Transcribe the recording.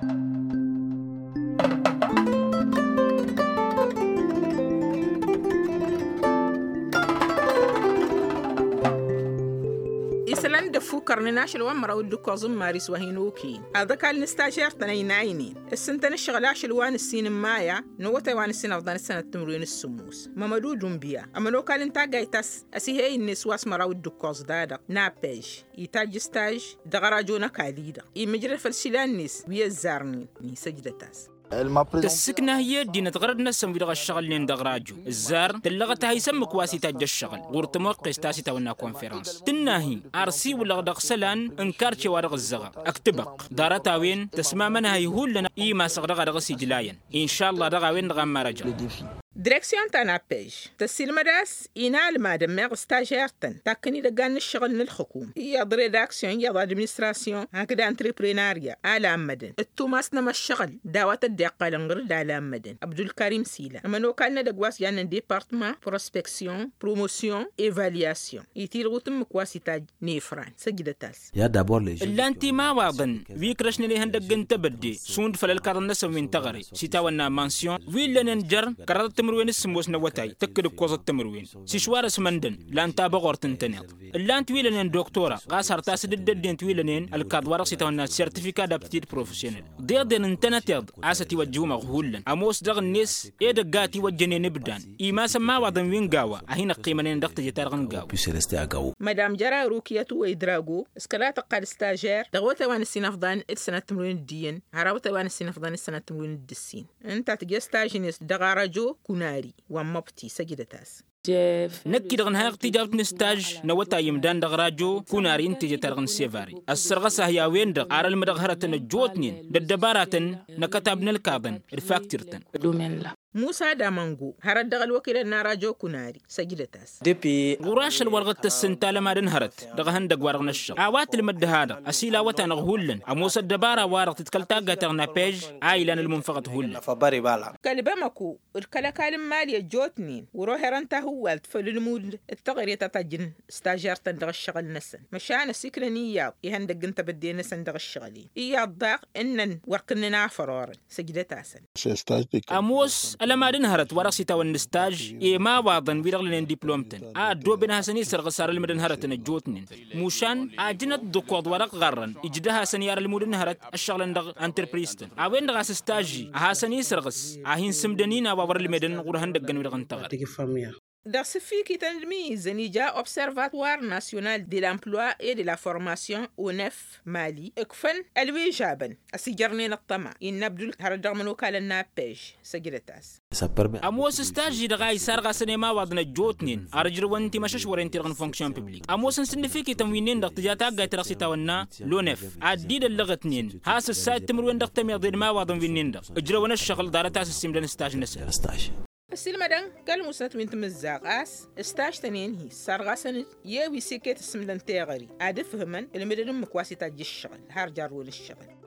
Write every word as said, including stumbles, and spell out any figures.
Isălan d-ăffukărnen ašăl wa n-măraw d-ǝkkoẓ n-maris wa hin-okăyăn aḍăkal n-stažer-tăn ăynaynen ǝssǝntăn ǝššăɣǝl ašăl wa n-ǝssin n-maya n-awătay wa n-ǝssin ăfḍan d-sănăt timǝrwen s-sǝmmos mămădudun biya ămănokal n-taggayt a-s ăsihey-net wa s-măraw d-ǝkkoẓ-da-dăɣ n-appež itajj staž dăɣ-ărajo n-ăkall-i-dăɣ imǝjrăd făll-isǝlan-net wi ăzzarnen. Isăjdăt-as. Tǝssǝknah i-ăddinăt ɣărăd-năsăn wi-dăɣ ăššăɣǝlnen dăɣ-ărajo ǝzzar tǝllăɣăt-ahi s-ǝmmǝk wa s-itajj ăššăɣǝl ɣur-tămoqqes ta s-itawănna konferăns tǝnn'-ahi ar siwǝlăɣ dăɣ-isălan n-karce wa dăɣ-ǝzzăɣăɣ ăktǝbăɣ ḍarăt-a-wen tăsmamăn-ahi hullan imasăɣ dăɣ-a dăɣ-s ijlayăn. Inšalla dăɣ-a-wen-dăɣ a n-marăjăɣ. Direksyon ta n-appež tăssilmăd a-s inalmadăn meɣ stažer-tăn takkăn idăggan n-ǝššăɣǝl n-ǝlxǝkum iyyăḍ redaksyon iyyăḍ administrasyon hakd antreprenarya alammădăn d-tumas n-emăššăɣǝl d-a-wa tăddeɣ iqqalăn ɣǝr-dd alammădăn abdulkarim s-ila ămănokal n-edăgg wa s-jannen departăma prospeksyon promosyon evalyasyon itilɣut ǝmmǝk wa s-itajj n-efran săjdăt-as. Ǝllan timawaḍăn wi ǝkrăšnăn ihăndăgg n-tebădde šund făll-ălkaḍăn-năsăn wi n-teɣăre s-itawănna mansyon wi ǝllănen jer-kăraḍăt timǝrwen s-sǝmmos n-awătay tǝkkǝd ǝkkoẓăt timǝrwen s-išwarăs măndăn lan tabăɣort ǝntăneḍ ǝllan-t wi ǝllănen doktora ɣas har tasǝdǝddăd-en-t wi ǝllănen ălkaḍ wa dăɣ-s itawănna certifikat d-aptitid profesyonel deḍen ǝntănăteḍ a-s ătiwăjjǝwmăɣ hullan ămoos dăɣ-net edăgg a ătiwăjjănen ibdan imasăn imawaḍăn wi n-gawa a hin-ăqqimănen dăɣ-teje-ta-dăɣ n-gawa. Mădam jăra rukiyăt uwăy drago s-kăla tăqqal stažer dăɣ-awătay wa n-ǝssin ăfḍan d-sănat timǝrwen d-iyyăn har awătay wa n-ǝssin ăfḍan d-sănat timǝrwen d-ǝssin ǝnta tǝjje staž-net dăɣ-arăjo kunari wa n-măbti săjdăt-as. Năkk-i-dăɣ ǝnhayăɣ tijawt n-staž n-awătay imdan dăɣ-rajo kunari n-teje-ta-dăɣ n-sevari ăssărɣăs-ahi a-wen-dăɣ ar ălmǝdăɣ hărătăn ăjjootnen d-ăddăbaratăn n-akătab n-ălkaḍăn d-faktir-tăn. Musa d-amango hărăt dăɣ-ălwăkilăn n-arajo kunari săjdăt-as. Ɣur-ašăl wa dăɣ-tăssǝnta lămadăn hărăt dăɣ-ehăndăgg-wa-dăɣ n-ăššăɣ a-wa tǝlmǝd dăha-dăɣ ăsila awătanăɣ hullan ămoos ăddăbara-wa-dăɣ tǝdkăl taggayt-ta-dăɣ n-apej a ilan ălmunfăɣăt hullan. Kăl-bamăko d-kăl-ăkall n-imali ăjjootnen wăr-oherăn tahǝwwalt făll-ǝlmud d-teɣăre ta tajjǝn stažer-tăn dăɣ-ǝššăɣǝl-năsăn măšan ăsiknăn iyyăḍ ihăndăgg n-tebădde-năsăn dăɣ-ǝššăɣǝl-in iyyăḍ daɣ ǝnnăn wăr kǝnnăn afărorăn. Săjdăt-asăn. Ămoos ălămad n-hărăt wa dăɣ-s itawănna staž i-imawaḍăn wi-dăɣ lănen diplom-tăn a ăddooben ad-hasăn-isărɣǝs ar ǝlmǝdăn hărătăn ăjjootnen mušan ajǝnăt d-ǝkkoḍ wa dăɣ-ɣarrăn ǝjdăh-asăn i-ad-ălmud n-hărăt ăššăɣǝlăn dăɣ-antrăpriztăn a-wen-dăɣ a-s staži ad-hasăn-isărɣǝs ad-hin-sǝmdăn inawa wăr-ǝlmedăn ɣur-ihăndăggăn wi-dăɣ n-taɣăre. Dăɣ-s ǝffikităn d-imǝyyǝzzăn ija observatoire national de l'emploi et de la formation onef mali ǝkfăn ălwižabăn ăsijărnen ăṭṭăma innă abdul hărăt dăɣ-imănokalăn n-appež. Săjdăt-as. Ămoos staži-dăɣ a isarɣasăn i-imawaḍăn ăjjootnen ar ǝjrăwăn timăšăšwăren-ti-dăɣ n-fonksyon piblik ămoosăn s-ǝnnǝfikităn wi-nin-dăɣ tǝja taggayt ta dăɣ-s itawănna lonef ad-dd-idăllăɣătnen has-ǝssayăt timǝrwen dăɣ-tămeḍe d-imawaḍăn wi-nin-dăɣ ǝjrăwăn ăššăɣǝl ḍarăt a-s ǝssimdăn staž-năsăn. Ăsilmădăn kăl-musnăt wi n-timǝzzaɣt a-s staž-tăn-en-hi sarɣasăn-dd i-wi s-iket ǝssǝmdăn teɣăre ad-ǝfhǝmăn ǝlmǝdăn ǝmmǝk wa s-itajj ǝššăɣǝl har jarrăwăn ǝššăɣǝl.